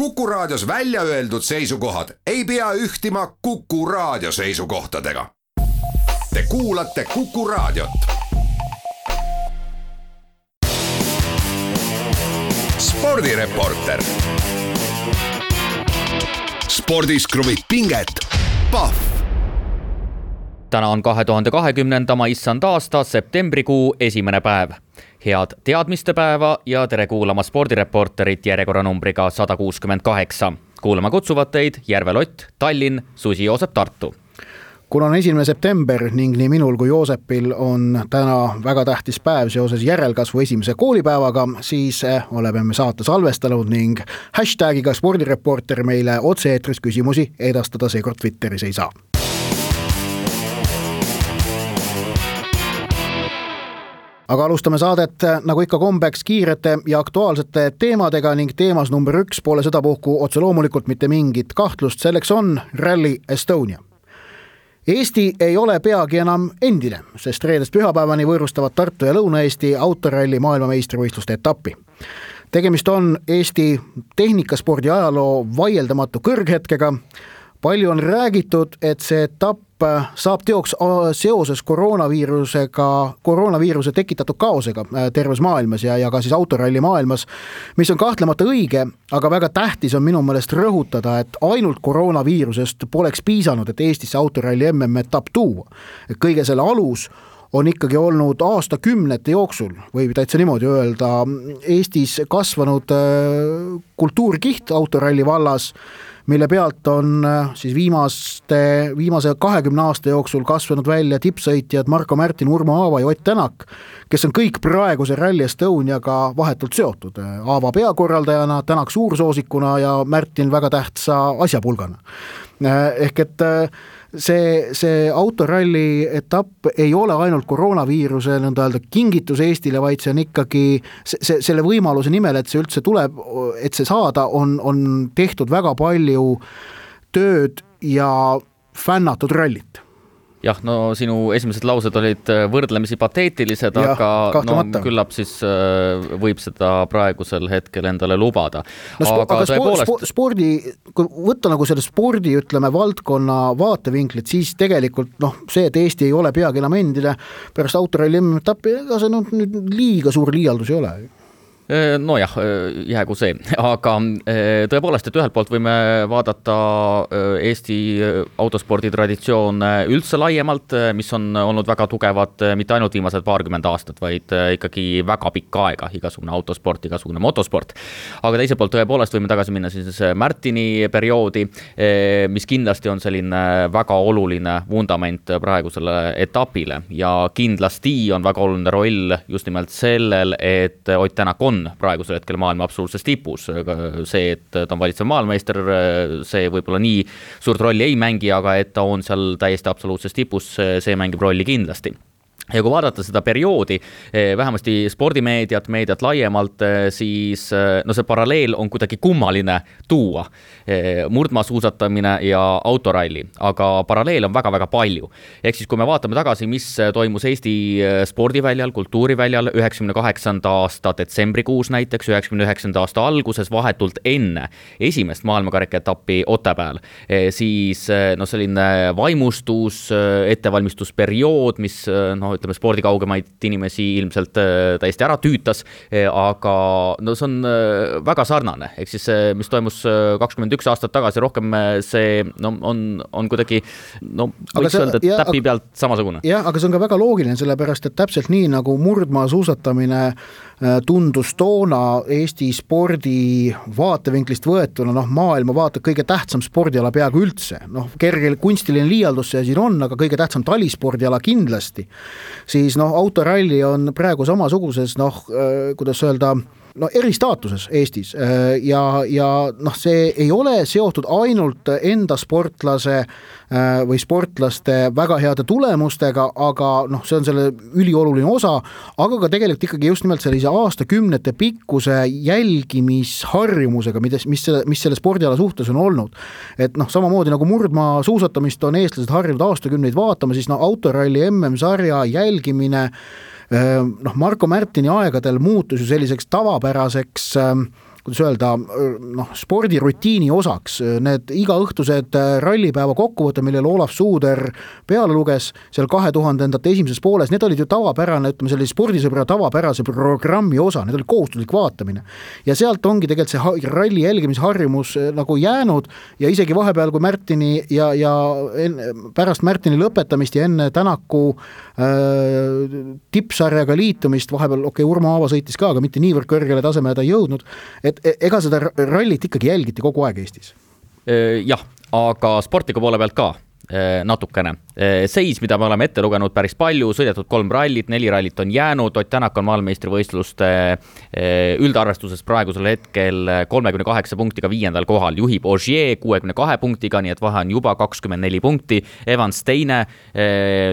Kuku Raadios välja öeldud seisukohad ei pea ühtima Kuku Raadio seisukohtadega. Te kuulate Kuku Raadiot. Spordireporter. Spordis kruvib pinget. Pahv. Täna on 2020. issand aasta septembrikuu esimene päev. Head teadmiste päeva ja tere kuulama Spordireporterit järjekorranumbriga 168. Kuulama kutsuvad teid Järve Lott, Tallinn, Susi Joosep, Tartu. Kuna on 1. september ning nii minul kui Joosepil on täna väga tähtis päev seoses järelkasvu esimese koolipäevaga, siis oleme me saate salvestanud ning hashtagiga Spordireporter meile otse-eetris küsimusi edastada seekord Twitteris ei saa. Aga alustame saadet nagu ikka kombeks kiirete ja aktuaalsete teemadega ning teemas number 1 pole sedapuhku otse loomulikult mitte mingit kahtlust, selleks on Rally Estonia. Eesti ei ole peagi enam endine, sest reedest pühapäevani võõrustavad Tartu ja Lõuna-Eesti autoralli maailmameistrivõistluste etappi. Tegemist on Eesti tehnikaspordi ajaloo vaieldamatu kõrghetkega. Palju on räägitud, et see etapp saab teoks seoses koroonaviiruse tekitatud kaosega terves maailmas ja ka siis autoralli maailmas, mis on kahtlemata õige, aga väga tähtis on minu meelest rõhutada, et ainult koroonaviirusest poleks piisanud, et Eestisse autoralli MM-etapp tuua. Kõige selle alus on ikkagi olnud aastakümnete jooksul, võib täitsa niimoodi öelda, Eestis kasvanud kultuurkiht autoralli vallas, mille pealt on siis viimase 20 aasta jooksul kasvanud välja tippsõitjad Marko Märtin, Urmo Aava ja Ott Tänak, kes on kõik praeguse Rally Estoniaga vahetult seotud. Aava peakorraldajana, Tänak suursoosikuna ja Märtin väga tähtsa asjapulgana. Ehk et see autoralli etapp ei ole ainult koroonaviiruse kingitus Eestile, vaid see on ikkagi selle võimaluse nimel, et see üldse tuleb, et see saada, on tehtud väga palju tööd ja fännatud rallit. Jah, no sinu esimesed laused olid võrdlemisi pateetilised, aga küllap siis võib seda praegusel hetkel endale lubada. Aga kui võtta nagu selle spordi, ütleme, valdkonna vaatevinklit, siis tegelikult see, et Eesti ei ole peagi enam endine pärast autoralli MM-etappi, ega see nüüd liiga suur liialdus ei ole. Nojah, jäägu see, aga tõepoolest, et ühelt poolt võime vaadata Eesti autospordi traditsioon üldse laiemalt, mis on olnud väga tugevad mitte ainult viimased 20 aastat, vaid ikkagi väga pikka aega, igasugune autosport, igasugune motosport. Aga teiselt poolt tõepoolest võime tagasi minna siis Märtini perioodi, mis kindlasti on selline väga oluline vundament praegusele etapile ja kindlasti on väga oluline roll just nimelt sellel, et Ott Tänak on praegusel hetkel maailma absoluutses tipus. See, et ta on valitsev maailmameister, see võib-olla nii suurt rolli ei mängi, aga et ta on seal täiesti absoluutses tipus, see mängib rolli kindlasti. Ja kui vaadata seda perioodi, vähemasti spordimeediat, meediat laiemalt, siis see paralleel on kuidagi kummaline tuua. Murdmaasuusatamine ja autoralli, aga paralleel on väga-väga palju. Ehk siis kui me vaatame tagasi, mis toimus Eesti spordiväljal, kultuuriväljal 98. aasta detsembrikuus näiteks, 99. aasta alguses vahetult enne esimest maailmakarikaetappi Otepääl, siis selline vaimustus, ettevalmistusperiood, mis ütleme, spordi kaugemaid inimesi ilmselt täiesti ära tüütas, aga see on väga sarnane. Ehk siis mis toimus 21 aastat tagasi, rohkem see on kuidagi, võiks öelda, täpi pealt samasugune. Jah, aga see on ka väga loogiline, sellepärast, et täpselt nii nagu murdmaasuusatamine tundus toona Eesti spordi vaatevinklist võetuna, maailma vaatab kõige tähtsam spordiala peaaegu üldse. Kergel kunstiline liialdus see siin on, aga kõige tähtsam talispordiala kindlasti. Siis autoralli on praegu samasuguses, kuidas öelda, eristaatuses Eestis ja see ei ole seotud ainult enda sportlase või sportlaste väga heade tulemustega, aga see on selle ülioluline osa, aga ka tegelikult ikkagi just nimelt sellise aastakümnete pikkuse jälgimisharjumusega, mis selle spordiala suhtes on olnud. Et samamoodi nagu murdmaa suusatamist on eestlased harjunud aastakümneid vaatama, siis autoralli MM-sarja jälgimine Marko Märtini aegadel muutus ju selliseks tavapäraseks kuidas öelda, spordirutiini osaks. Need igaõhtused rallipäeva kokkuvõte, millele Olav Suuder peale luges seal 2000-ndate esimeses pooles, need olid ju tavapärane, ütleme sellise spordisõbra tavapärase programmi osa, need oli kohustuslik vaatamine. Ja sealt ongi tegelikult see ralli jälgimisharjumus nagu jäänud ja isegi vahepeal, kui Märtini ja pärast Märtini lõpetamist ja enne Tänaku tippsarjaga liitumist, vahepeal Urmo Aava sõitis ka, aga mitte niivõrd kõrgele tasemele ta ei jõudnud, et ega seda rallit ikkagi jälgiti kogu aeg Eestis? Jah, aga sportliku poole pealt ka natukene. Seis, mida me oleme ette lugenud päris palju, sõidetud 3 rallit, 4 rallit on jäänud, Ott Tänak on maailmameistrivõistluste üldarvestuses praegusel hetkel 38 punktiga 5. kohal, juhib Ogier 62 punktiga, nii et vahe on juba 24 punkti, Evans teine,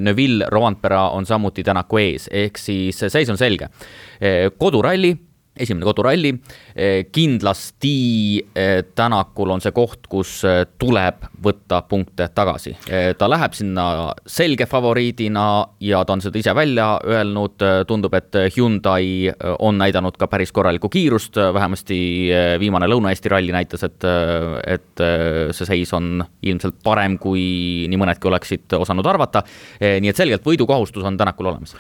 Neuville, Rovanpera on samuti Tänaku ees, ehk siis seis on selge. Esimene koduralli, kindlasti Tänakul on see koht, kus tuleb võtta punkte tagasi. Ta läheb sinna selge favoriidina ja ta on seda ise välja öelnud, tundub, et Hyundai on näidanud ka päris korralikku kiirust, vähemasti viimane Lõuna-Eesti ralli näitas, et see seis on ilmselt parem, kui nii mõnedki oleksid osanud arvata, nii et selgelt võidukohustus on Tänakul olemas.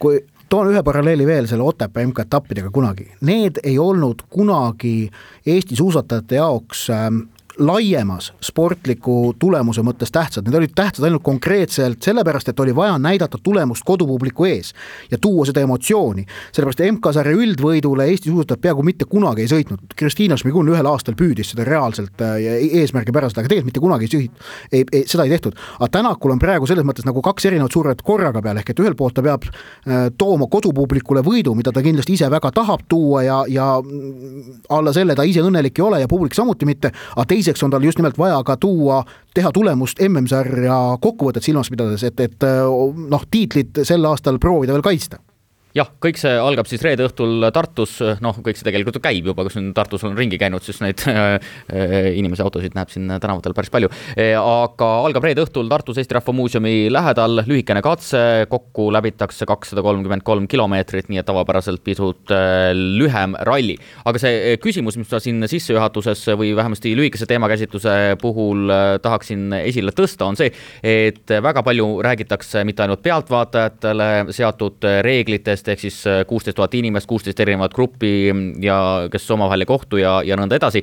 Kui toon ühe paralleeli veel selle Otepää MK-etappidega kunagi. Need ei olnud kunagi Eesti suusatajate jaoks laiemas sportliku tulemuse mõttes tähtsad. Need olid tähtsad ainult konkreetselt sellepärast, et oli vaja näidata tulemust kodupubliku ees ja tuua seda emotsiooni. Sellepärast MK-sarja üldvõidule Eesti suusatajad peaaegu mitte kunagi ei sõitnud. Kristiina Šmigun ühel aastal püüdis seda reaalselt eesmärgi pärast, aga tegelikult mitte kunagi seda ei tehtud. Aga Tänakul on praegu selles mõttes nagu 2 erinevat suuret korraga peal, ehk et ühel poolt ta peab tooma kodupublikule võidu, mida ta kindlasti ise väga tahab tuua ja alla selle ta ise õnnelik ei ole ja publik samuti mitte, aga teiseks on tal just nimelt vaja ka teha tulemust MM-sarja kokkuvõtet silmas pidades, et tiitlit sel aastal proovida veel kaitsta. Jah, kõik see algab siis reede õhtul Tartus, kõik see tegelikult käib juba, kus Tartus on ringi käinud, siis neid inimese autosid näeb siin tänavatel päris palju, aga algab reede õhtul Tartus Eesti Rahva Muuseumi lähedal, lühikene katse, kokku läbitakse 233 kilomeetrit, nii et tavapäraselt pisut lühem ralli. Aga see küsimus, mis ma siin sissejuhatuses või vähemasti lühikese teemakäsitluse puhul tahaksin esile tõsta, on see, et väga palju räägitakse mitte ainult pealtvaatajatele seatud reeglitest, ehk siis 16 000 inimest, 16 erinevat gruppi ja kes omavahel ei kohtu ja nõnda edasi,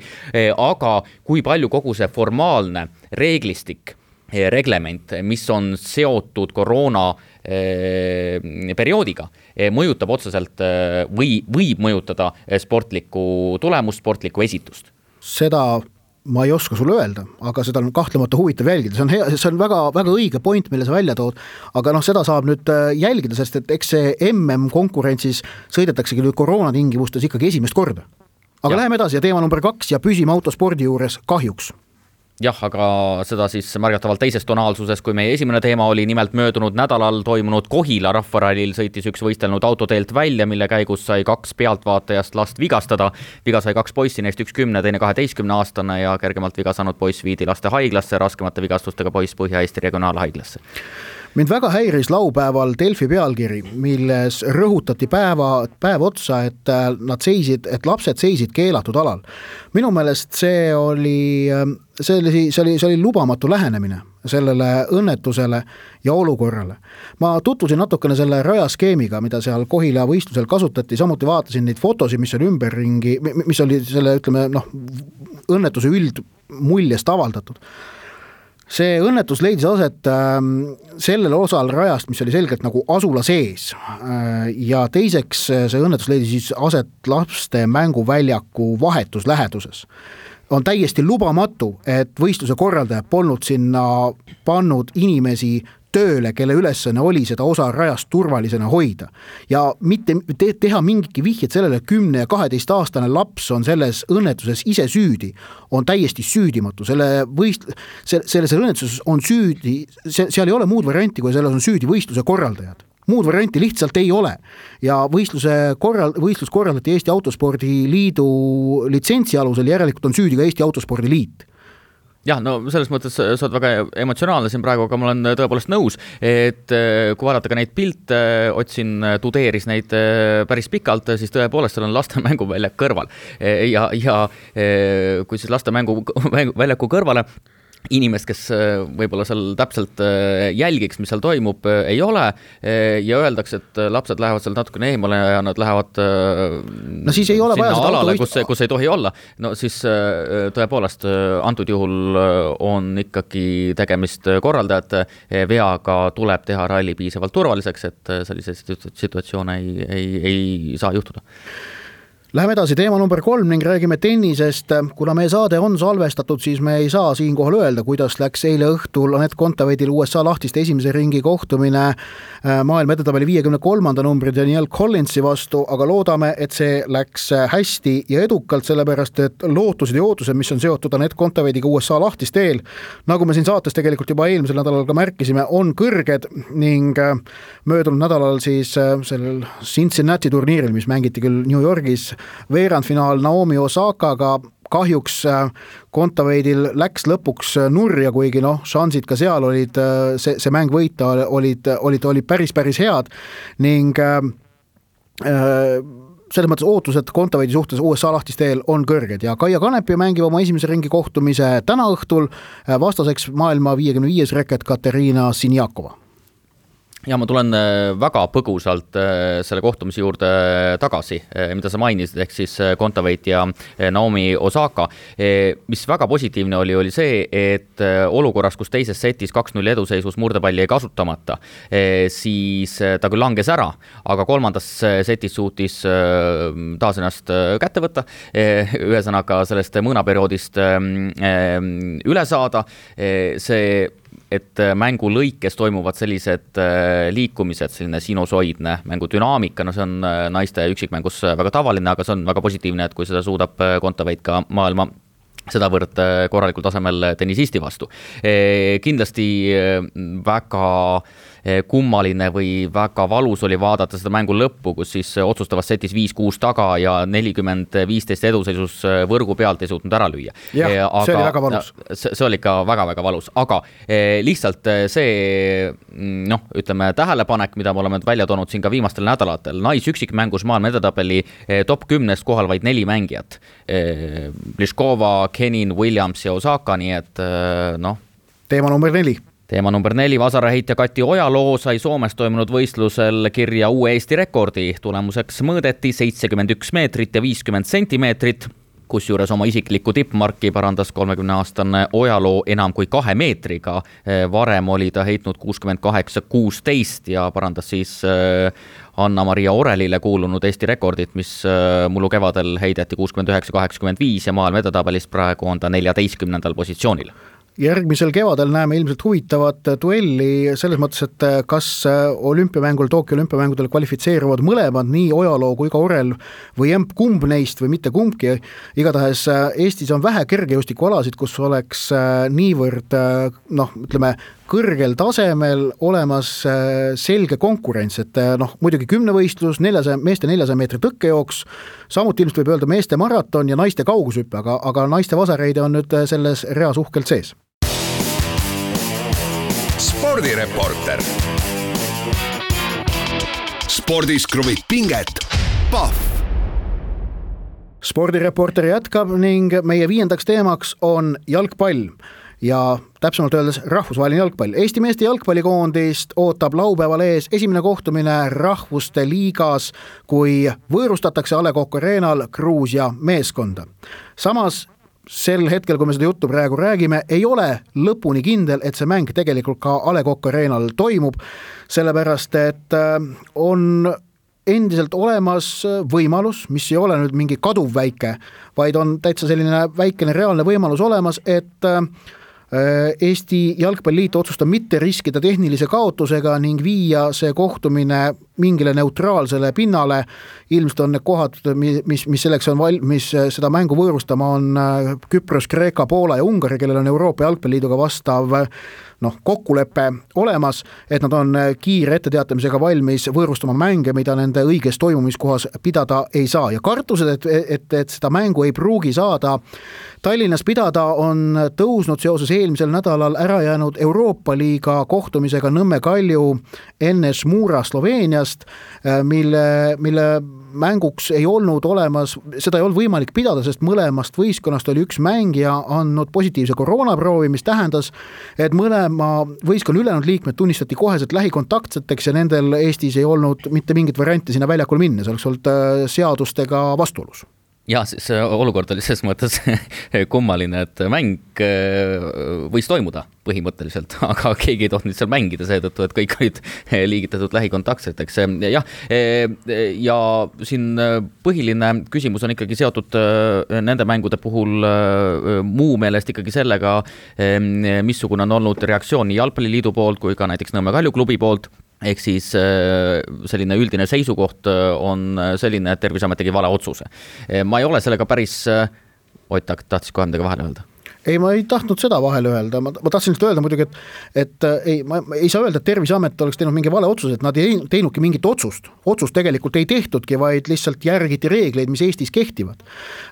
aga kui palju kogu see formaalne reeglistik, reglement, mis on seotud koroona perioodiga, mõjutab otseselt või võib mõjutada sportlikku tulemust, sportlikku esitust? Seda ma ei oska sulle öelda, aga seda on kahtlemata huvitav jälgida. See on väga, väga õige point, mille sa välja tood, aga seda saab nüüd jälgida, sest et eks see MM-konkurentsis sõidetaksegi nüüd koroonatingimustes ikkagi esimest korda. Aga läheme edasi ja teema number 2 ja püsime autospordi juures kahjuks. Jah, aga seda siis märgatavalt teises tonaalsuses, kui meie esimene teema oli nimelt möödunud nädalal toimunud Kohila rahvarallil sõitis üks võistelnud autoteelt välja, mille käigus sai 2 pealtvaatajast last vigastada. Viga sai 2 poissi, neist üks 10, teine 12-aastane ja kergemalt viga saanud poiss viidi laste haiglasse, raskemate vigastustega poiss Põhja-Eesti regionaalhaiglasse. Mind väga häiris laupäeval Delfi pealkiri, milles rõhutati päev otsa, et lapsed seisid keelatud alal. Minu meelest see oli lubamatu lähenemine sellele õnnetusele ja olukorrale. Ma tutvusin natukene selle rajaskeemiga, mida seal Kohila võistlusel kasutati, samuti vaatasin neid fotosid, mis oli ümberringi, mis oli selle, õnnetuse üldmuljest avaldatud. See õnnetus leidis aset sellel osal rajast, mis oli selgelt nagu asula sees ja teiseks see õnnetus leidis siis aset laste mänguväljaku vahetus läheduses. On täiesti lubamatu, et võistluse korraldaja polnud sinna pannud inimesi tööle, kelle ülesanne oli seda osa rajast turvalisena hoida. Ja mitte teha mingitki vihjed sellele, 10 ja 12-aastane laps on selles õnnetuses ise süüdi, on täiesti süüdimatu. Selles õnnetuses on süüdi, seal ei ole muud varianti, kui selles on süüdi võistluse korraldajad. Muud varianti lihtsalt ei ole. Ja võistlus korraldati Eesti Autospordi Liidu litsentsi alusel, järelikult on süüdi ka Eesti Autospordi Liit. Jah, no selles mõttes sa oled väga emotsionaalne siin praegu, aga ma olen tõepoolest nõus, et kui vaadata ka neid pilte, tudeeris neid päris pikalt, siis tõepoolest seal on laste mänguväljak kõrval. Ja kui siis laste mänguväljaku kõrvale inimest, kes võib-olla seal täpselt jälgiks, mis seal toimub, ei ole ja öeldakse, et lapsed lähevad seal natukene eemale ja nad lähevad siis ei ole sinna vaja alale, kus ei tohi olla. No siis tõepoolest antud juhul on ikkagi tegemist korraldajate veaga, tuleb teha ralli piisavalt turvaliseks, et selliseid situatsioone ei saa juhtuda. Läheme edasi teema number 3 ning räägime tennisest. Kuna meie saade on salvestatud, siis me ei saa siinkohal öelda, kuidas läks eile õhtul Anett Kontaveidil USA lahtiste esimese ringi kohtumine maailma edetabeli 53. numbri Danielle Collinsi vastu, aga loodame, et see läks hästi ja edukalt, sellepärast et lootused ja ootused, mis on seotud Anett Kontaveidiga USA lahtiste eel, nagu me siin saates tegelikult juba eelmisel nädalal ka märkisime, on kõrged ning möödunud nädalal siis sellel Cincinnati turniiril, mis mängiti küll New Yorgis, veerandfinaal Naomi Osakaga kahjuks Kontaveidil läks lõpuks nurja, kuigi šansid ka seal olid, see mäng võita olid päris head ning selles mõttes ootused Kontaveidi suhtes USA lahtiste eel on kõrged ja Kaia Kanepi mängib oma esimese ringi kohtumise täna õhtul vastaseks maailma 55 reket Katerina Siniakova. Ja ma tulen väga põgusalt selle kohtumise juurde tagasi, mida sa mainisid, ehk siis Kontaveit ja Naomi Osaka. Mis väga positiivne oli see, et olukorras, kus teises setis 2-0 eduseisus murdepalli ei kasutamata, siis ta küll langes ära, aga kolmandas setis suutis taas ennast kätte võtta, ühesõnaga sellest mõõnaperioodist üle saada. See et mängu lõikes toimuvad sellised liikumised, selline sinusoidne mängudünaamika, see on naiste üksikmängus väga tavaline, aga see on väga positiivne, et kui seda suudab Kontaveit ka maailma sedavõrd korralikul tasemel tennisisti vastu. Kindlasti väga kummaline või väga valus oli vaadata seda mängu lõppu, kus siis otsustavas setis 5-6 taga ja 40-15 eduseisus võrgu pealt ei suutnud ära lüüa. Aga see oli väga valus. See oli ikka väga valus, aga lihtsalt see ütleme tähelepanek, mida me oleme välja toonud siin ka viimastel nädalatel, naisüksikmängus maailma edetabeli top 10 kohal vaid 4 mängijat. Pliškova, Kenin, Williams ja Osaka, nii et Teema number 4. Teema number 4, vasaraheitja Kati Ojaloo sai Soomes toimunud võistlusel kirja uue Eesti rekordi. Tulemuseks mõõdeti 71 meetrit ja 50 sentimeetrit, kusjuures oma isiklikku tippmarki parandas 30-aastane Ojaloo enam kui 2 meetriga. Varem oli ta heitnud 68-16 ja parandas siis Anna-Maria Orelile kuulunud Eesti rekordit, mis mullu kevadel heideti 69-85 ja maailma edetabelis praegu on ta 14. positsioonil. Järgmisel kevadel näeme ilmselt huvitavat duelli selles mõttes, et kas Tokyo olümpiamängudel kvalifitseeruvad mõlemad, nii Ojaloo kui ka Orel või kumb neist või mitte kumbki. Igatahes Eestis on vähe kergejõustikualasid, kus oleks niivõrd kõrgel tasemel olemas selge konkurents, et muidugi 10-võistlus, meeste 400 meetri tõkkejooks, samuti ilmselt võib öelda meeste maraton ja naiste kaugushüppe, aga naiste vasareide on nüüd selles reas uhkelt sees. Spordireporter. Spordis kruvib pinget. Pahv. Spordireporter jätkab ning meie 5. teemaks on jalgpall ja täpsemalt öeldes rahvusvaheline jalgpall. Eesti meeste jalgpallikoondist ootab laupäeval ees esimene kohtumine rahvuste liigas, kui võõrustatakse A. Le Coq Arena'l Gruusia meeskonda. Samas sel hetkel, kui me seda juttu praegu räägime, ei ole lõpuni kindel, et see mäng tegelikult ka A. Le Coq Arena'l toimub, sellepärast et on endiselt olemas võimalus, mis ei ole nüüd mingi kaduv väike, vaid on täitsa selline väikene reaalne võimalus olemas, et Eesti Jalgpalliliit otsustab mitte riskida tehnilise kaotusega ning viia see kohtumine mingile neutraalsele pinnale, ilmselt on need kohad, mis selleks on mis seda mängu võõrustama on Küpros, Kreeka, Poola ja Ungari, kellel on Euroopa Jalgpalliliiduga vastav kokkulepe olemas, et nad on kiire etteteatamisega valmis võõrustama mänge, mida nende õiges toimumiskohas pidada ei saa. Ja kartused, et seda mängu ei pruugi saada Tallinnas pidada, on tõusnud seoses eelmisel nädalal ära jäänud Euroopa liiga kohtumisega Nõmme Kalju NS Mura Sloveeniast, mille mänguks ei olnud olemas, seda ei olnud võimalik pidada, sest mõlemast võistkonnast oli üks mängija andnud positiivse koroonaproovi, mis tähendas, et mõlema võistkonna ülejäänud liikmed tunnistati koheselt lähikontaktseteks ja nendel Eestis ei olnud mitte mingit varianti sinna väljakul minna, see oleks olnud seadustega vastuolus. Ja see olukord oli selles mõttes kummaline, et mäng võis toimuda põhimõtteliselt, aga keegi ei tohtinud seal mängida seetõttu, et kõik olid liigitatud lähikontaktseteks. Ja siin põhiline küsimus on ikkagi seotud nende mängude puhul muu meelest ikkagi sellega, missugune on olnud reaktsioon nii Jalgpalliliidu poolt kui ka näiteks Nõmme Kalju klubi poolt. Ehk siis selline üldine seisukoht on selline, et Terviseamet tegi vale otsuse. Ma ei ole sellega päris... Ott, tahtsid kohe midagi vahele öelda? Ei, ma ei tahtnud seda vahele öelda, ma tahtsin öelda muidugi, et ma ei saa öelda, et Terviseamet oleks teinud mingi vale otsus, et nad ei teinudki mingit otsust tegelikult ei tehtudki, vaid lihtsalt järgiti reegleid, mis Eestis kehtivad.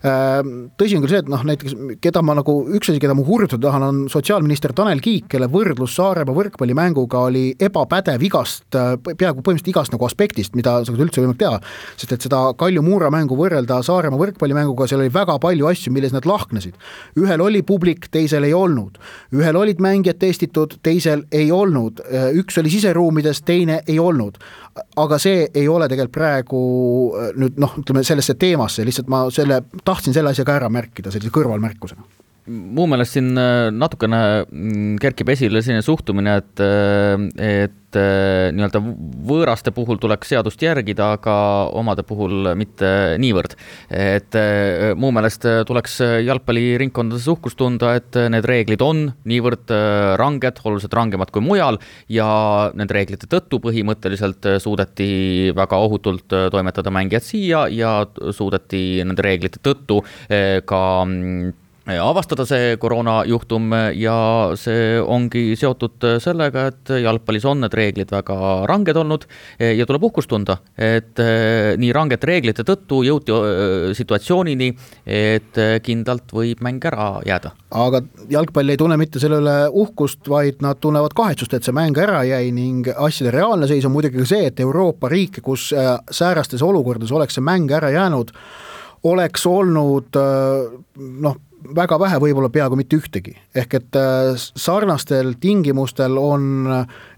Tõsi on küll see, et näiteks keda ma hurjutada tahan, on sotsiaalminister Tanel Kiik, kelle võrdlus Saaremaa võrkpallimänguga oli ebapädev peaaegu põhimõtteliselt igast aspektist, mida sa üldse võimalik teha, sest et seda Kalju Muura mängu võrrelda Saaremaa võrkpallimänguga, seal oli väga palju asju, milles nad lahknesid. Ühel oli publik, teisel ei olnud. Ühel olid mängijad testitud, teisel ei olnud. Üks oli siseruumides, teine ei olnud. Aga see ei ole tegelikult praegu nüüd, ütleme sellesse teemasse, lihtsalt ma tahtsin selle asja ka ära märkida, sellise kõrvalmärkusena. Muu meelest siin natukene kerkib esile selline suhtumine, et nii-öelda võõraste puhul tuleks seadust järgida, aga omade puhul mitte niivõrd. Et muu meelest tuleks jalgpalliringkondades uhkust tunda, et need reeglid on niivõrd ranged, oluliselt rangemad kui mujal ja need reeglite tõttu põhimõtteliselt suudeti väga ohutult toimetada mängijad siia ja suudeti nende reeglite tõttu ka avastada see koroonajuhtum ja see ongi seotud sellega, et jalgpallis on need reeglid väga ranged olnud ja tuleb uhkust tunda, et nii ranged reeglite tõttu jõuti situatsioonini, et kindlalt võib mäng ära jääda. Aga jalgpall ei tunne mitte selle üle uhkust, vaid nad tunnevad kahetsust, et see mäng ära jäi ning asjade reaalne seis on muidugi ka see, et Euroopa riike, kus säärastes olukordades oleks see mäng ära jäänud, oleks olnud väga vähe, võib-olla peaaegu mitte ühtegi. Ehk et sarnastel tingimustel on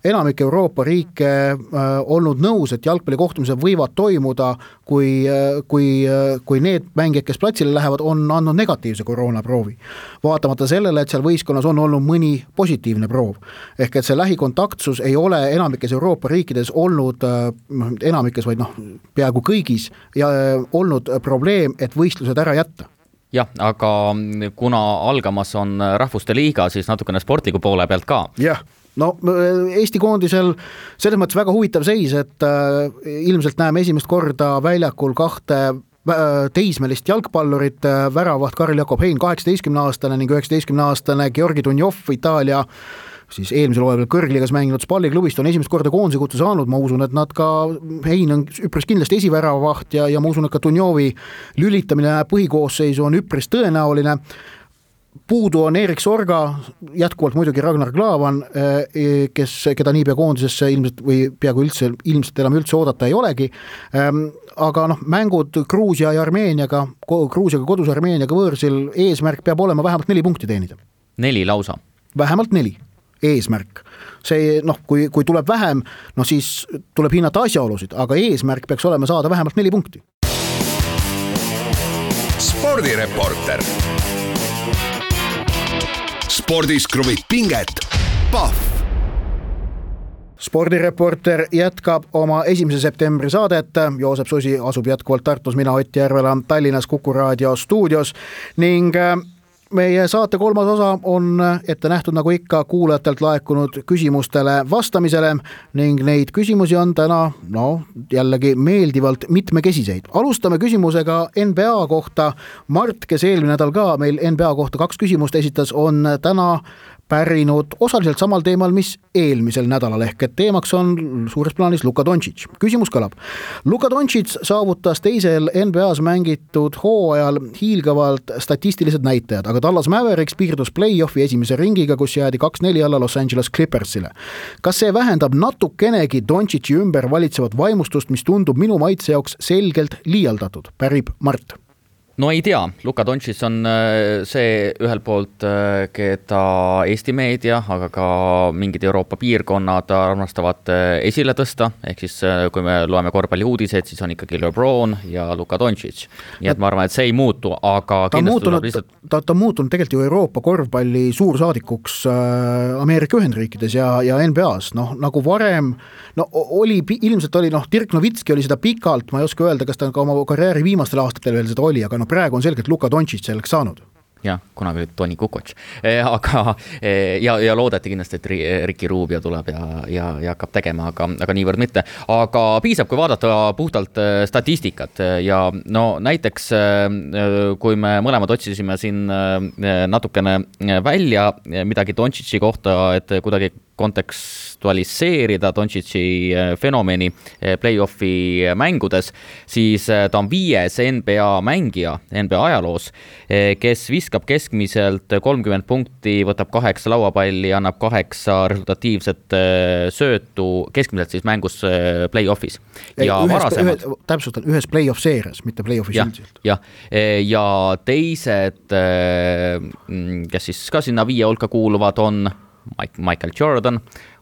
enamik Euroopa riike olnud nõus, et jalgpallikohtumised võivad toimuda, kui need mängijad, kes platsile lähevad, on andnud negatiivse koroonaproovi. Vaatamata sellele, et seal võistkonnas on olnud mõni positiivne proov. Ehk et see lähikontaktsus ei ole enamikes Euroopa riikides olnud, enamikes, vaid peaaegu kõigis, ja olnud probleem, et võistlused ära jätta. Jah, aga kuna algamas on rahvuste liiga, siis natukene sportliku poole pealt ka. Jah, Eesti koondisel selles mõttes väga huvitav seis, et ilmselt näeme esimest korda väljakul 2 teismelist jalgpallurit, väravaht Karl Jakob Hein, 18-aastane ning 19-aastane Georgi Dunjov, Itaalia siis eelmisel hooajal kõrgliigas mänginud Spalli klubist on esimest korda koondise kutse saanud, ma usun, et nad ka, Hein on üpris kindlasti esiväravaht ja ma usun, et ka Dunjovi lülitamine põhikoosseisu on üpris tõenäoline. Puudu on Erik Sorga, jätkuvalt muidugi Ragnar Klavan, keda niipea koondisesse ilmselt või peaaegu ilmselt enam üldse oodata ei olegi, aga mängud Gruusia ja Armeeniaga, Gruusiaga kodus Armeeniaga võõrsil, eesmärk peab olema vähemalt 4 punkti teenida. 4 lausa? Vähemalt 4. Eesmärk. See, kui tuleb vähem, siis tuleb hinnata asjaolusid, aga eesmärk peaks olema saada vähemalt 4 punkti. Spordireporter. Spordis kruvib pinget. Pahv. Spordireporter jätkab oma 1. septembri saadet. Joosep Susi asub jätkuvalt Tartus, mina Ott Järvela Tallinnas Kuku Raadio stuudios ning meie saate kolmas osa on ette nähtud nagu ikka kuulajatelt laekunud küsimustele vastamisele ning neid küsimusi on täna jällegi meeldivalt mitmekesiseid. Alustame küsimusega NBA kohta. Mart, kes eelmine nädal ka meil NBA kohta 2 küsimust esitas, on täna pärinud osaliselt samal teemal, mis eelmisel nädalal ehk et teemaks on suures plaanis Luka Doncic. Küsimus kõlab. Luka Doncic saavutas teisel NBA's mängitud hooajal hiilgavalt statistilised näitajad, aga Dallas Mavericks piirdus play-offi esimese ringiga, kus jäädi 2-4 alla Los Angeles Clippersile. Kas see vähendab natukenegi Doncic'i ümber valitsevat vaimustust, mis tundub minu maitse jaoks selgelt liialdatud? Pärib Mart. No ei tea, Luka Doncic on see ühelt poolt, keda Eesti meedia, aga ka mingid Euroopa piirkonnad armastavad esile tõsta, ehk siis kui me loeme korvpalli uudiseid, siis on ikkagi LeBron ja Luka Doncic. Nii et ma arvan, et see ei muutu, aga ta on muutunud tegelikult ju Euroopa korvpalli suursaadikuks Ameerika Ühendriikides ja NBA's, nagu varem, ilmselt oli, Dirk Nowitzki oli seda pikalt, ma ei oska öelda, kas ta ka oma karjääri viimastel aastatel veel seda oli, aga praegu on selgelt Luka Doncic selleks saanud. Jah, kunagi oli Toni Kukoc, aga ja loodeti kindlasti, et Ricky Rubio tuleb ja hakkab tegema, aga niivõrd mitte. Aga piisab, kui vaadata puhtalt statistikat ja näiteks kui me mõlemad otsisime siin natukene välja midagi Doncic'i kohta, et kuidagi kontekstualiseerida Doncic'i fenomeni play-offi mängudes, siis ta on 5. NBA mängija NBA ajaloos, kes viskab keskmiselt 30 punkti, võtab 8 lauapalli, annab 8 resultatiivset söötu keskmiselt siis mängus play-offis. Täpsustan, ühes play-off seerias, mitte play-offis üldiselt. Ja teised, kes siis ka sinna 5 hulka kuuluvad, on Michael Jordan,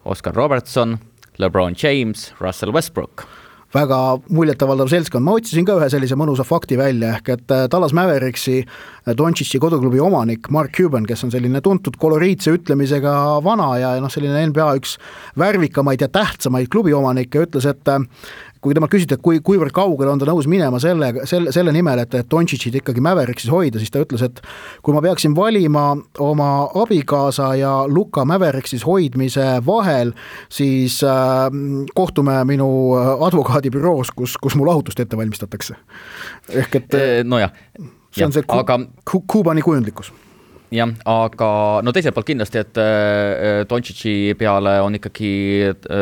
Oscar Robertson, LeBron James, Russell Westbrook. Väga muljetavaldav seltskond. Ma otsisin ka ühe sellise mõnusa fakti välja, ehk et Dallas Mavericksi Doncic'i koduklubi omanik Mark Cuban, kes on selline tuntud koloriitse ütlemisega vana ja selline NBA üks värvikamaid ja tähtsamaid klubi omanikke, ütles, et kui temalt küsiti, et kuivõrd kaugele on ta nõus minema selle nimel, et Doncic'it ikkagi Mavericks hoida, siis ta ütles, et kui ma peaksin valima oma abikaasa ja Luka Mavericks hoidmise vahel, siis kohtume minu advokaadibüroos, kus mu lahutust ette valmistatakse. Ehk et see on see Kuubani kujundlikkus. Jah, aga teiselt poolt kindlasti, et Doncic'i peale on ikkagi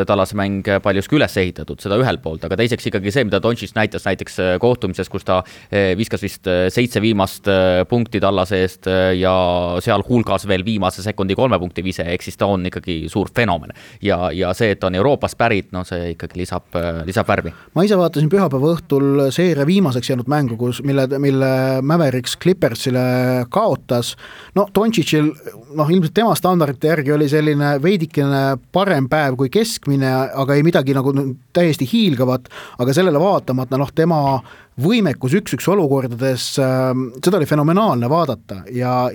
Dallase mäng paljuski üles ehitatud, seda ühelt poolt, aga teiseks ikkagi see, mida Doncic näitas näiteks kohtumises, kus ta viskas vist 7 viimast punkti Dallase eest ja seal hulgas veel viimase sekundi 3 punkti vise, ehk siis ta on ikkagi suur fenomen. Ja see, et ta on Euroopast pärit, see ikkagi lisab värvi. Ma ise vaatasin pühapäeva õhtul seeria viimaseks jäänud mängu, mille Mavericks Clippersile kaotas. Doncic'il, ilmselt tema standardite järgi oli selline veidikene parem päev kui keskmine, aga ei midagi nagu täiesti hiilgavat, aga sellele vaatamata, tema võimekus 1-1 olukordades, seda oli fenomenaalne vaadata ja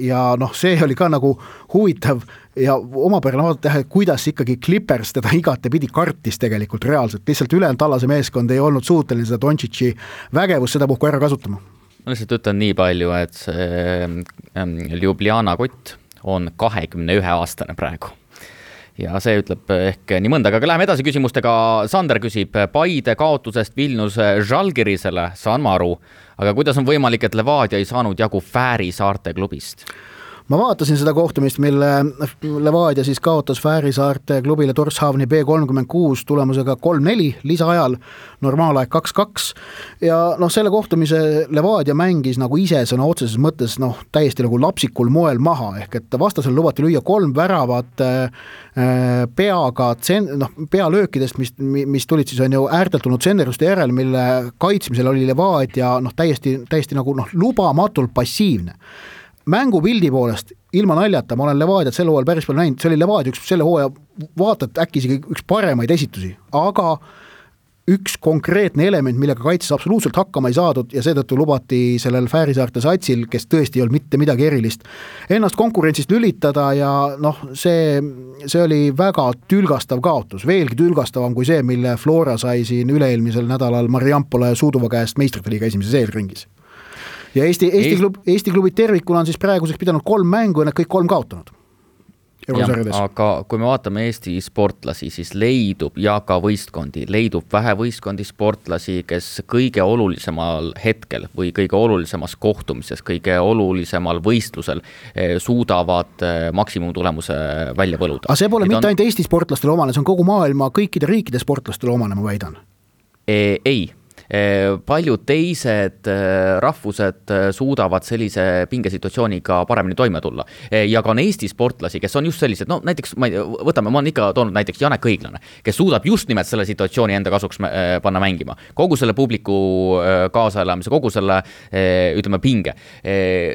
see oli ka nagu huvitav ja omapärane vaadata, kuidas ikkagi Clippers teda igatepidi kartis tegelikult reaalselt, lihtsalt ülejäänud Dallase meeskond ei olnud suuteline seda Doncic'i vägevust seda puhku ära kasutama. Ma lihtsalt ütlen nii palju, et see Ljubljana kott on 21-aastane praegu. Ja see ütleb ehk nii mõnda, aga läheme edasi küsimustega. Sander küsib Paide kaotusest Vilniuse Žalgirisele, saan ma aru, aga kuidas on võimalik, et Levadia ei saanud jagu Fääri saarte klubist? Ma vaatasin seda kohtumist, mille Levadia siis kaotas Fääri saarte klubile Torshavni B36 tulemusega 3-4 lisaajal, normaalaeg 2-2 ja selle kohtumise Levadia mängis nagu ise sõna otseses mõttes täiesti nagu lapsikul moel maha, ehk et vastasel lubati lüüa 3 väravat pealöökidest, mis tulid siis on ju äärtelt tulnud senderuste järel, mille kaitsmisel oli Levadia täiesti nagu lubamatult passiivne. Mängupildi poolest, ilma naljata, ma olen Levadiat selle hooajal päris palju näinud, see oli Levadia üks selle hooaja, vaatad äkki isegi üks paremaid esitusi, aga üks konkreetne element, millega kaitses absoluutselt hakkama ei saadud ja seetõttu lubati sellel Fäärisaarte satsil, kes tõesti ei olnud mitte midagi erilist, ennast konkurentsist lülitada ja see oli väga tülgastav kaotus, veelgi tülgastavam kui see, mille Flora sai siin üleelmisel nädalal Mariampole Suuduva käest meistrite liiga esimeses eelringis. ja Eesti klubid tervikuna on siis praeguseks pidanud 3 mängu ja need kõik 3 kaotanud. Aga kui me vaatame Eesti sportlasi, siis leidub ja ka võistkondi, leidub vähe võistkondi sportlasi, kes kõige olulisemal hetkel või kõige olulisemas kohtumises, kõige olulisemal võistlusel suudavad maksimumtulemuse välja võluda. Aga see pole mitte ainult Eesti sportlastele omane, see on kogu maailma kõikide riikide sportlastele omane, ma väidan. Ei. Paljud teised rahvused suudavad sellise pingesituatsiooniga paremini toime tulla. Ja ka on Eesti sportlasi, kes on just sellised, no näiteks ma olen ikka toonud näiteks Janek Õiglane, kes suudab just nimelt selle situatsiooni enda kasuks panna mängima. Kogu selle publiku kaasaelamise, kogu selle ütleme pinge.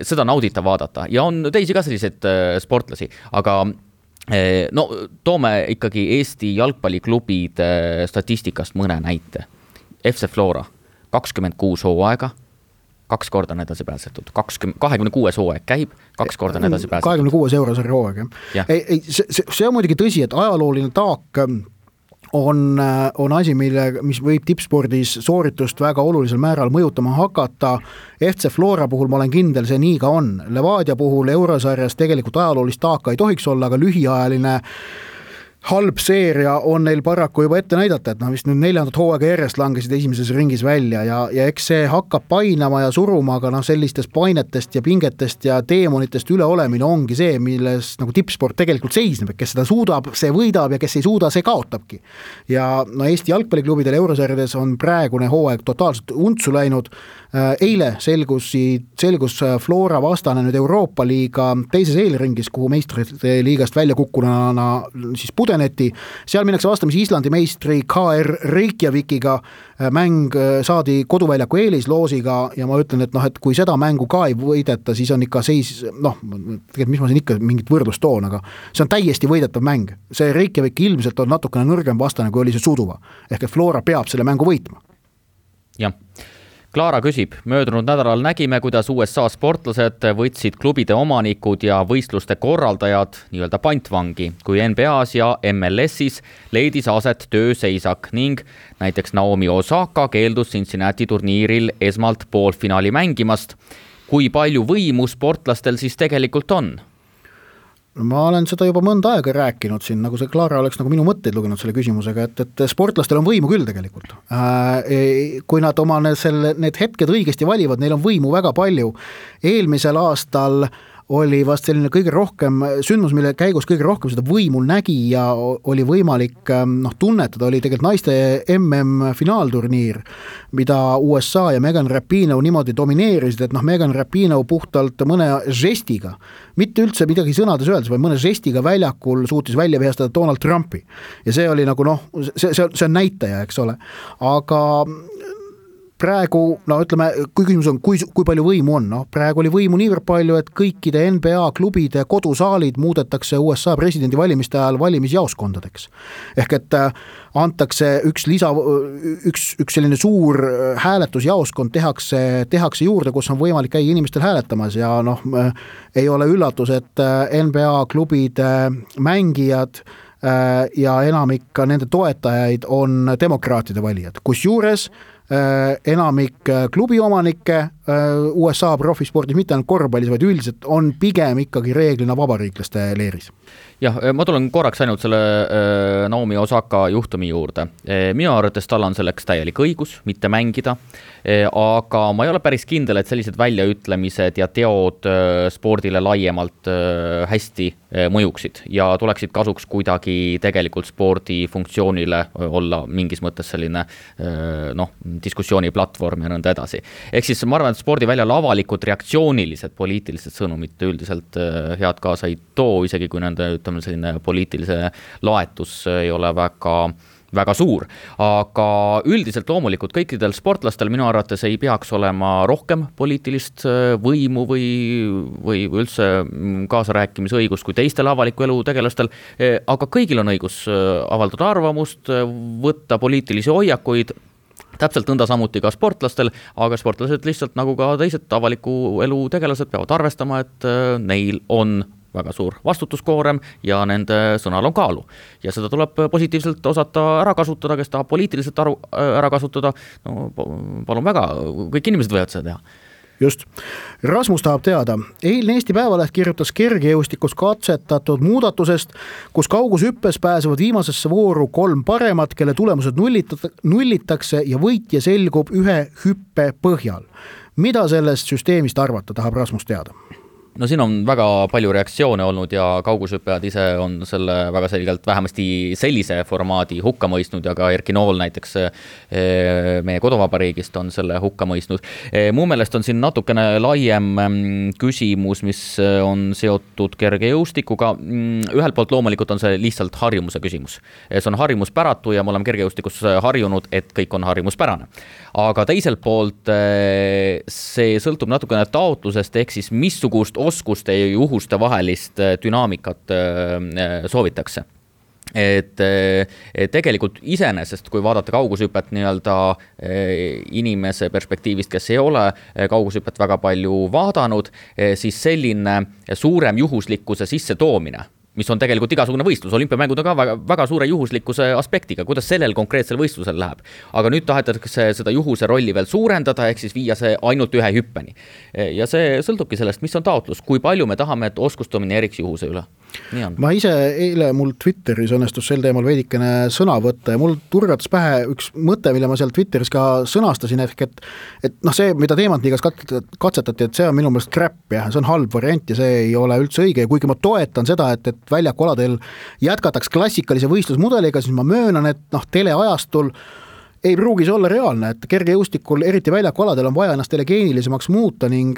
Seda naudita vaadata ja on teisi ka selliseid sportlasi, aga no toome ikkagi Eesti jalgpalliklubid statistikast mõne näite. FC Flora, 26 hooaega, 2 korda on edasi pääsetud. 26 hooaeg käib, 2 korda on edasi pääsetud. 26 eurosarja hooaeg, jah. See on muidugi tõsi, et ajalooline taak on asi, mis võib tippspordis sooritust väga olulisel määral mõjutama hakata. FC Flora puhul ma olen kindel, see nii ka on. Levadia puhul eurosarjas tegelikult ajaloolist taaka ei tohiks olla, aga lühiajaline halb seeria on neil paraku juba ette näidata, et vist nüüd 4. hooaega järjest langesid esimeses ringis välja ja eks see hakkab painama ja suruma, aga sellistest painetest ja pingetest ja teemonitest üleolemine ongi see, milles nagu tippsport tegelikult seisneb, et kes seda suudab, see võidab ja kes ei suuda, see kaotabki. Ja Eesti jalgpalliklubidel eurosarjades on praegune hooaeg totaalselt untsu läinud. Eile selgus Flora vastane nüüd Euroopa liiga teises eelringis, kuhu meistrite liigast välja kukkunana siis pudeneti. Seal minnakse vastamisi Islandi meistri KR Reykjavikiga. Mäng saadi koduväljaku eelisloosiga ja ma ütlen, et kui seda mängu ka ei võideta, siis on ikka seis, tegelikult mis ma siin ikka mingit võrdlust toon, aga see on täiesti võidetav mäng. See Reykjavik ilmselt on natukene nõrgem vastane, kui oli see Suduva. Ehk et Flora peab selle mängu võitma. Jah. Klaara küsib, möödunud nädalal nägime, kuidas USA sportlased võtsid klubide omanikud ja võistluste korraldajad nii-öelda pantvangi, kui NBA-s ja MLS-is leidis aset tööseisak ning näiteks Naomi Osaka keeldus Cincinnati turniiril esmalt poolfinaali mängimast. Kui palju võimu sportlastel siis tegelikult on? Ma olen seda juba mõnda aega rääkinud siin, nagu see Klaara oleks nagu minu mõtteid lugenud selle küsimusega, et sportlastel on võimu küll tegelikult. Kui nad oma need hetked õigesti valivad, neil on võimu väga palju. Eelmisel aastal oli vast selline kõige rohkem sündmus, mille käigus kõige rohkem seda võimul nägi ja oli võimalik tunnetada, oli tegelikult naiste MM-finaalturniir, mida USA ja Megan Rapinoe niimoodi domineerisid, et Megan Rapinoe puhtalt mõne žestiga, mitte üldse midagi sõnades öeldes, vaid mõne žestiga väljakul suutis välja vihastada Donald Trumpi. Ja see oli nagu see on näitaja, eks ole. Aga praegu, ütleme, kui küsimus on, kui palju võimu on, praegu oli võimu niivõrd palju, et kõikide NBA klubide kodusaalid muudetakse USA presidendi valimiste ajal valimisjaoskondadeks. Ehk et antakse üks selline suur hääletusjaoskond tehakse juurde, kus on võimalik käia inimestel hääletamas ja ei ole üllatus, et NBA klubide mängijad ja enamik nende toetajaid on demokraatide valijad, kusjuures enamik klubiomanikke USA profispordis, mitte ainult korvpallis, vaid üldiselt on pigem ikkagi reeglina vabariiklaste leeris. Jah, ma tulen korraks ainult selle Naomi Osaka juhtumi juurde. Minu arvates tal on selleks täielik õigus mitte mängida, aga ma ei ole päris kindel, et sellised väljaütlemised ja teod spordile laiemalt hästi mõjuksid ja tuleksid kasuks kuidagi tegelikult spordi funktsioonile olla mingis mõttes selline diskussiooniplatvorm ja nõnda edasi. Ehk siis ma arvan, et spordiväljal avalikud reaktsioonilised poliitilised sõnumid üldiselt head kaasa ei too, isegi kui nende selline poliitilise laetus ei ole väga suur. Aga üldiselt loomulikult kõikidel sportlastel minu arvates ei peaks olema rohkem poliitilist võimu või üldse kaasarääkimisõigust kui teistel avaliku elu tegelastel, aga kõigil on õigus avaldada arvamust, võtta poliitilisi hoiakuid, täpselt nõnda samuti ka sportlastel, aga sportlased lihtsalt nagu ka teised avaliku elu tegelased peavad arvestama, et neil on väga suur vastutuskoorem ja nende sõnal on kaalu. Ja seda tuleb positiivselt osata ära kasutada, kes tahab poliitiliselt ära kasutada, palun väga, kõik inimesed võivad seda teha. Just. Rasmus tahab teada, eilne Eesti Päevaleht kirjutas kergejõustikus katsetatud muudatusest, kus kaugushüppes pääsevad viimasesse vooru 3 paremat, kelle tulemused nullitakse ja võitja selgub ühe hüppe põhjal. Mida sellest süsteemist arvata, tahab Rasmus teada? No siin on väga palju reaktsioone olnud ja kaugushüppajad ise on selle väga selgelt vähemasti sellise formaadi hukka mõistnud ja ka Erki Nool näiteks meie koduvabariigist on selle hukka mõistnud. Mu meelest on siin natukene laiem küsimus, mis on seotud kergejõustikuga. Ühelt poolt loomulikult on see lihtsalt harjumuse küsimus. See on harjumuspäratu ja me oleme kergejõustikus harjunud, et kõik on harjumuspärane. Aga teiselt poolt see sõltub natukene taotlusest ehk siis missugust oskuste ja juhuste vahelist dünaamikat soovitakse. Et tegelikult iseenesest, kui vaadata kaugushüpet nii-öelda inimese perspektiivist, kes ei ole kaugushüpet väga palju vaadanud, siis selline suurem juhuslikkuse sisse toomine, mis on tegelikult igasugune võistlus. Olümpiamängud on ka väga suure juhuslikkuse aspektiga, kuidas sellel konkreetsel võistlusel läheb. Aga nüüd tahetakse seda juhuse rolli veel suurendada, ehk siis viia see ainult ühe hüppeni. Ja see sõltubki sellest, mis on taotlus, kui palju me tahame, et oskustamine eriks juhuse üle. Ma ise eile mul Twitteris õnnestus sel teemal veidikene sõna võtta ja mul turgatas pähe üks mõte, mille ma seal Twitteris ka sõnastasin, et see, mida teemantiigas katsetati, et see on minu meelest crap, jah, see on halb variant ja see ei ole üldse õige ja kuigi ma toetan seda, et väljakualadel jätkataks klassikalise võistlusmudeliga, siis ma möönan, et teleajastul ei pruugi see olla reaalne, et kergejõustikul, eriti väljakualadel on vaja ennast telegeenilisemaks muuta ning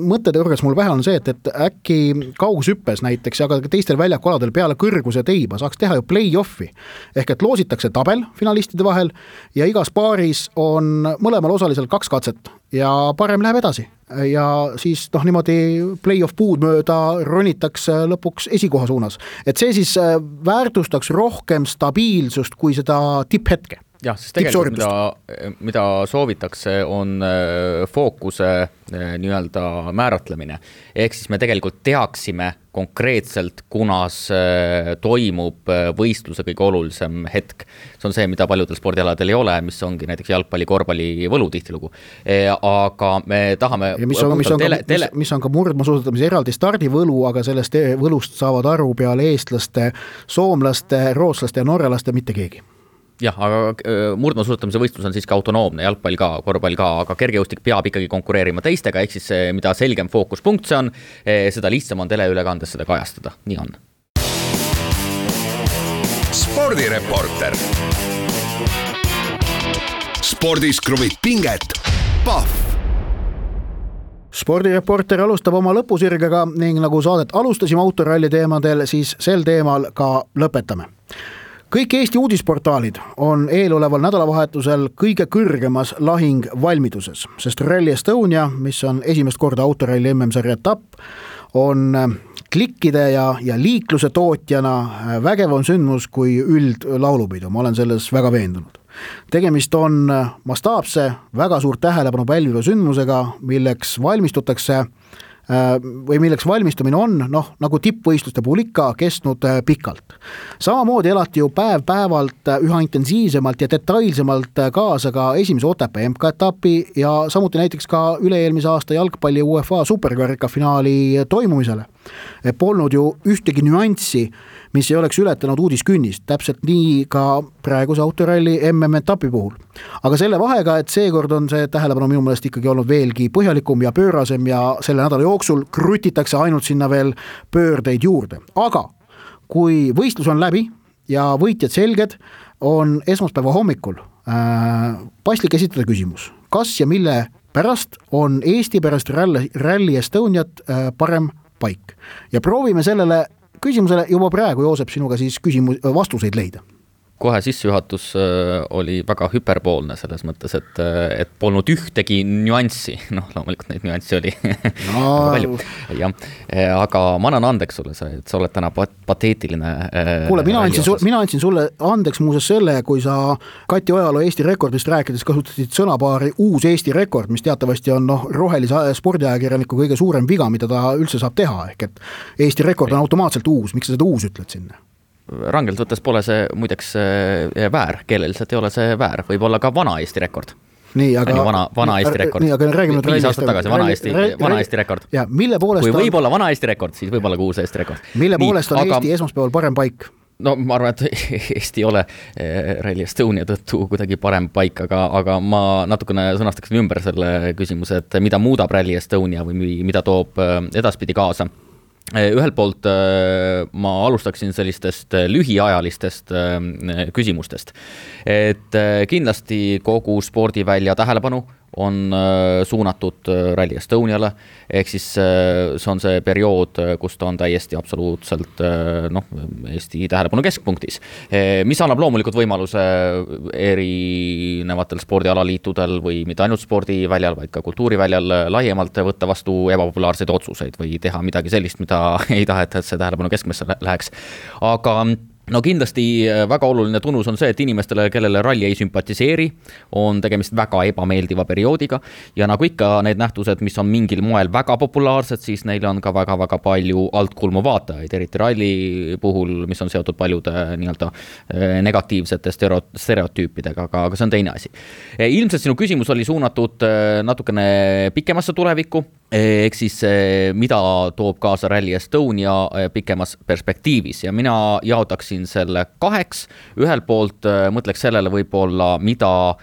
mõtteturgas mul vähe on see, et äkki kaugushüppes näiteks, aga teistel väljakualadel peale kõrguse teiba saaks teha ju play-offi. Ehk et loositakse tabel finalistide vahel ja igas paaris on mõlemal osalisel 2 katset ja parem läheb edasi. Ja siis niimoodi play-off puud mööda ronitakse lõpuks esikoha suunas. Et see siis väärtustaks rohkem stabiilsust kui seda tipphetke. Jah, siis tegelikult mida soovitakse on fookuse nii-öelda määratlemine. Ehk siis me tegelikult teaksime konkreetselt, kunas toimub võistluse kõige olulisem hetk. See on see, mida paljudel spordialadel ei ole, mis ongi näiteks jalgpalli, korvpalli võlu tihtilugu. Aga me tahame... Mis on ka murdmaasuusatamise eraldi stardivõlu, aga sellest võlust saavad aru peale eestlaste, soomlaste, rootslaste ja norralaste mitte keegi. Jah, aga murdmaasuusatamise võistlus on siis ka autonoomne, jalgpall ka, korvpall ka, aga kergejõustik peab ikkagi konkureerima teistega, ehk siis mida selgem fookuspunkt see on, seda lihtsam on teleülekandes seda kajastada. Nii on. Spordireporter. Spordis kruvib pinget. Pahv. Spordireporter alustab oma lõpusirgega ning nagu saadet alustasime autoralli teemadel, siis sel teemal ka lõpetame. Kõik Eesti uudisportaalid on eeloleval nädalavahetusel kõige kõrgemas lahing valmiduses, sest Rally Estonia, mis on esimest korda autoralli MM-sarja etapp, on klikkide ja liikluse tootjana vägevam sündmus kui üldlaulupidu. Ma olen selles väga veendunud. Tegemist on mastaapse, väga suurt tähelepanu pälviva sündmusega, milleks valmistutakse või milleks valmistumine on, nagu tippvõistluste puhul ikka, kestnud pikalt. Samamoodi elati ju päev-päevalt üha intensiivsemalt ja detailsemalt kaasa ka esimese Otepää MK-etapi ja samuti näiteks ka üle-eelmise aasta jalgpalli UEFA superkarika finaali toimumisele. Polnud ju ühtegi nüanssi, mis ei oleks ületanud uudiskünnist, täpselt nii ka praeguse autoralli MM-etapi puhul. Aga selle vahega, et seekord on see tähelepanu minu meelest ikkagi olnud veelgi põhjalikum ja pöörasem ja selle nädala jooksul krutitakse ainult sinna veel pöördeid juurde. Aga kui võistlus on läbi ja võitjad selged, on esmaspäeva hommikul paslik esitada küsimus, kas ja mille pärast on Eesti pärast Rally Estoniat parem paik. Ja proovime sellele küsimusele juba praegu, Joosep, sinuga siis vastuseid leida. Kohe sissejuhatus oli väga hüperboolne selles mõttes, et polnud ühtegi nüanssi. Loomulikult neid nüanssi oli palju. Ja, aga ma annan andeks sulle, et sa oled täna pateetiline. Kuule, mina andsin sulle andeks muuseas selle, kui sa Kati Ojalo Eesti rekordist rääkides kasutasid sõnapaari uus Eesti rekord, mis teatavasti on rohelise spordiajakirjaniku kõige suurem viga, mida ta üldse saab teha. Ehk et Eesti rekord on automaatselt uus. Miks sa seda uus ütled sinna? Rangelt võttes pole see muideks väär, keeleliselt ei ole see väär, võib olla ka vana Eesti rekord. Nii, aga vana Eesti rekord. Nii, aga räägime 5 aastat tagasi, vana Eesti rekord. Ja, mille poolest kui võib olla vana Eesti rekord, siis võib olla ka uus Eesti rekord. Mille poolest on Eesti esmaspäeval parem paik? No ma arvan, et Eesti ei ole Rally Estonia tõttu kuidagi parem paik, aga ma natukene sõnastaksin ümber selle küsimuse, et mida muudab Rally Estonia või mida toob edaspidi kaasa. Ühelt poolt ma alustaksin sellistest lühiajalistest küsimustest, et kindlasti kogu spordivälja tähelepanu on suunatud Rally Estoniale, ehk siis see on see periood, kus ta on täiesti absoluutselt Eesti tähelepanu keskpunktis, mis annab loomulikult võimaluse erinevatel spordialaliitudel või mitte ainult spordiväljal, vaid ka kultuuriväljal laiemalt võtta vastu ebapopulaarseid otsuseid või teha midagi sellist, mida ei taheta, et see tähelepanu keskmesse läheks. Aga no kindlasti väga oluline tunnus on see, et inimestele, kellele ralli ei sümpatiseeri, on tegemist väga ebameeldiva perioodiga ja nagu ikka need nähtused, mis on mingil moel väga populaarsed, siis neil on ka väga-väga palju altkulmu vaatajaid, eriti ralli puhul, mis on seotud paljude nii-öelda negatiivsete stereotüüpidega, aga see on teine asi. Ilmselt sinu küsimus oli suunatud natukene pikemasse tulevikku, ehk siis mida toob kaasa Rally Estonia pikemas perspektiivis ja mina jaotaksin selle 2. Ühelt poolt mõtleks sellele võib-olla, mida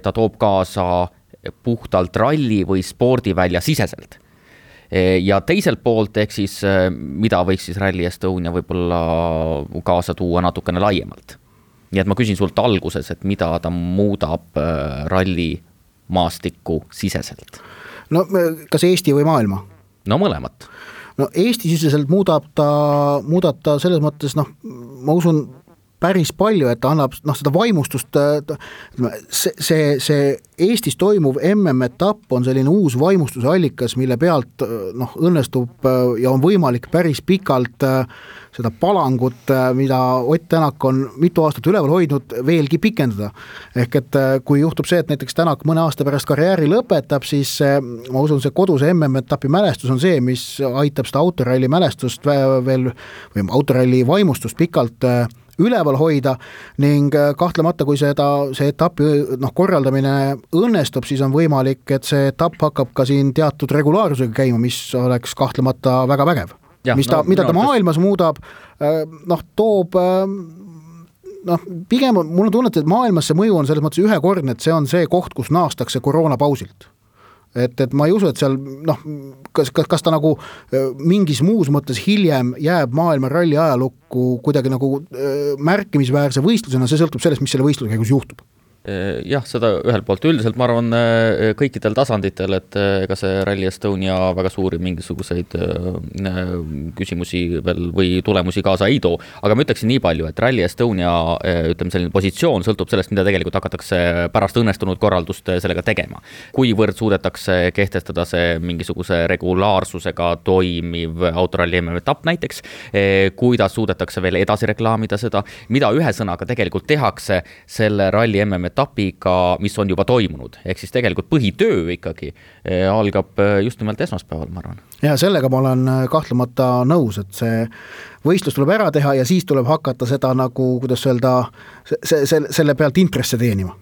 ta toob kaasa puhtalt ralli või spordivälja siseselt. Ja teiselt poolt, ehk siis mida võiks siis Rally Estonia võib-olla kaasa tuua natukene laiemalt. Nii et ma küsin sult alguses, et mida ta muudab ralli maastikku siseselt. No kas Eesti või maailma? No mõlemat. No Eesti siseselt muudab ta selles mõttes, ma usun päris palju, et ta annab seda vaimustust, see Eestis toimuv MM-etapp on selline uus vaimustuse allikas, mille pealt õnnestub ja on võimalik päris pikalt seda palangut, mida Ott Tänak on mitu aastat üleval hoidnud, veelgi pikendada. Ehk et kui juhtub see, et näiteks Tänak mõne aasta pärast karjääri lõpetab, siis ma usun, see koduse MM-etapi mälestus on see, mis aitab seda autoralli mälestust veel või autoralli vaimustust pikalt üleval hoida ning kahtlemata, kui see etapi korraldamine õnnestub, siis on võimalik, et see etapp hakkab ka siin teatud regulaarsusega käima, mis oleks kahtlemata väga vägev. Ja, mida ta maailmas muudab, toob pigem mul on tunnet, et maailmas see mõju on selles mõttes ühekordne, et see on see koht, kus naastakse koroonapausilt. Et ma ei usu, et seal kas ta nagu mingis muus mõttes hiljem jääb maailma ralli ajalukku kuidagi nagu märkimisväärse võistlusena, see sõltub sellest, mis selle võistluse käigus juhtub. Jah, seda ühelt poolt üldiselt ma arvan kõikidel tasanditel, et ega see Rally Estonia väga suuri mingisuguseid küsimusi veel või tulemusi kaasa ei too, aga ma ütleksin nii palju, et Rally Estonia selline positsioon sõltub sellest, mida tegelikult hakatakse pärast õnnestunud korraldust sellega tegema. Kuivõrd suudetakse kehtestada see mingisuguse regulaarsusega toimiv autoralli MM-etapp näiteks, kuidas suudetakse veel edasi reklaamida seda, mida ühe sõnaga tegelikult tehakse selle ralli MM-etapiga, mis on juba toimunud. Ehk siis tegelikult põhitöö ikkagi algab just nimelt esmaspäeval, ma arvan. Ja sellega ma olen kahtlemata nõus, et see võistlus tuleb ära teha ja siis tuleb hakata seda nagu, kuidas öelda, selle pealt intresse teenima.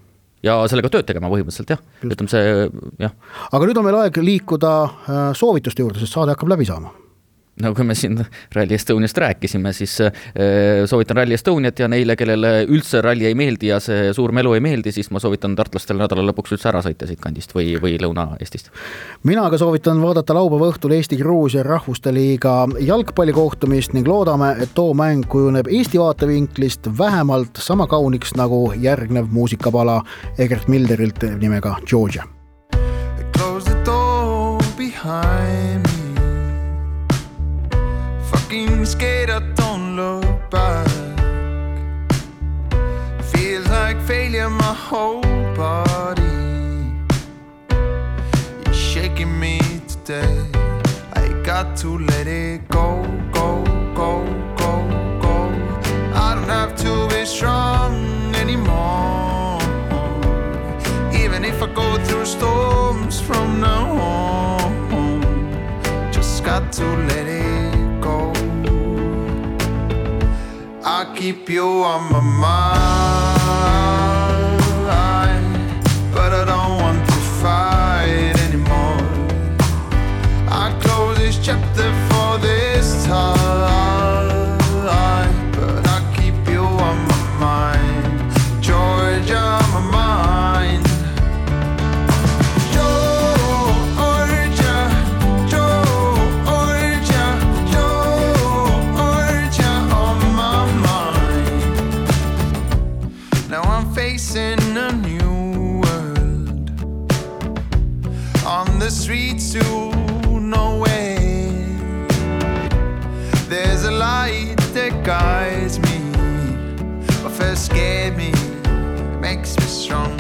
Ja sellega tööd tegema põhimõtteliselt, jah. Ütleme see, jah. Aga nüüd on meil aeg liikuda soovituste juurde, sest saade hakkab läbi saama. No kui me siin Rally Estoniast rääkisime, siis soovitan Rally Estoniat ja neile, kellele üldse ralli ei meeldi ja see suur melu ei meeldi, siis ma soovitan tartlastele nädala lõpuks üldse ära sõita siit kandist või Lõuna-Eestist. Mina aga soovitan vaadata laupäeva õhtul Eesti-Gruusia rahvuste liiga jalgpallikohtumist ning loodame, et too mäng kujuneb Eesti vaatevinklist vähemalt sama kauniks nagu järgnev muusikapala Egert Milderilt nimega Georgia. Close the door behind me. Fucking scared, I don't look back. Feels like failure, my whole body. You're shaking me today. I got to let it go, go, go, go, go. I don't have to be strong anymore. Even if I go through storms from now on, just got to let it go. I keep you on my mind, but I don't want guides me. What first scared me makes me strong.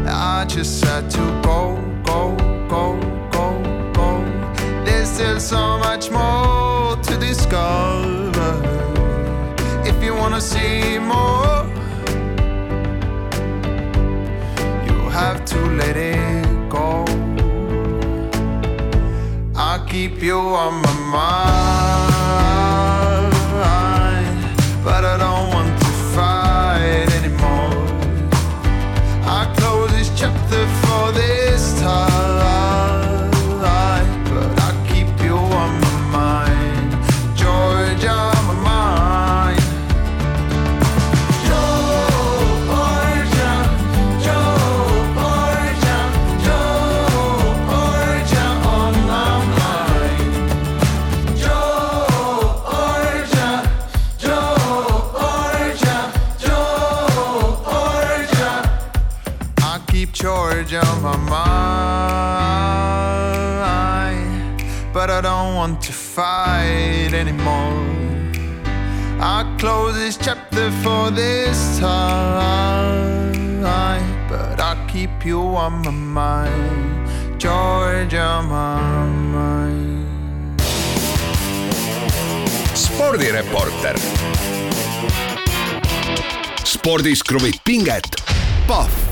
I just had to go, go, go, go, go. There's still so much more to discover. If you wanna see more, you have to let it go. I keep you on my mind, but I don't want to fight anymore. I close this chapter for this time, but I keep you on my mind, Georgia, on my mind. Georgia, Georgia, Georgia, on my mind. Georgia, Georgia, Georgia. I keep Georgia on my mind, but I don't want to fight anymore. I close this chapter for this time, but I keep you on my mind, Georgia on my mind. spordireporter. spordis kruvib pinget, Pahv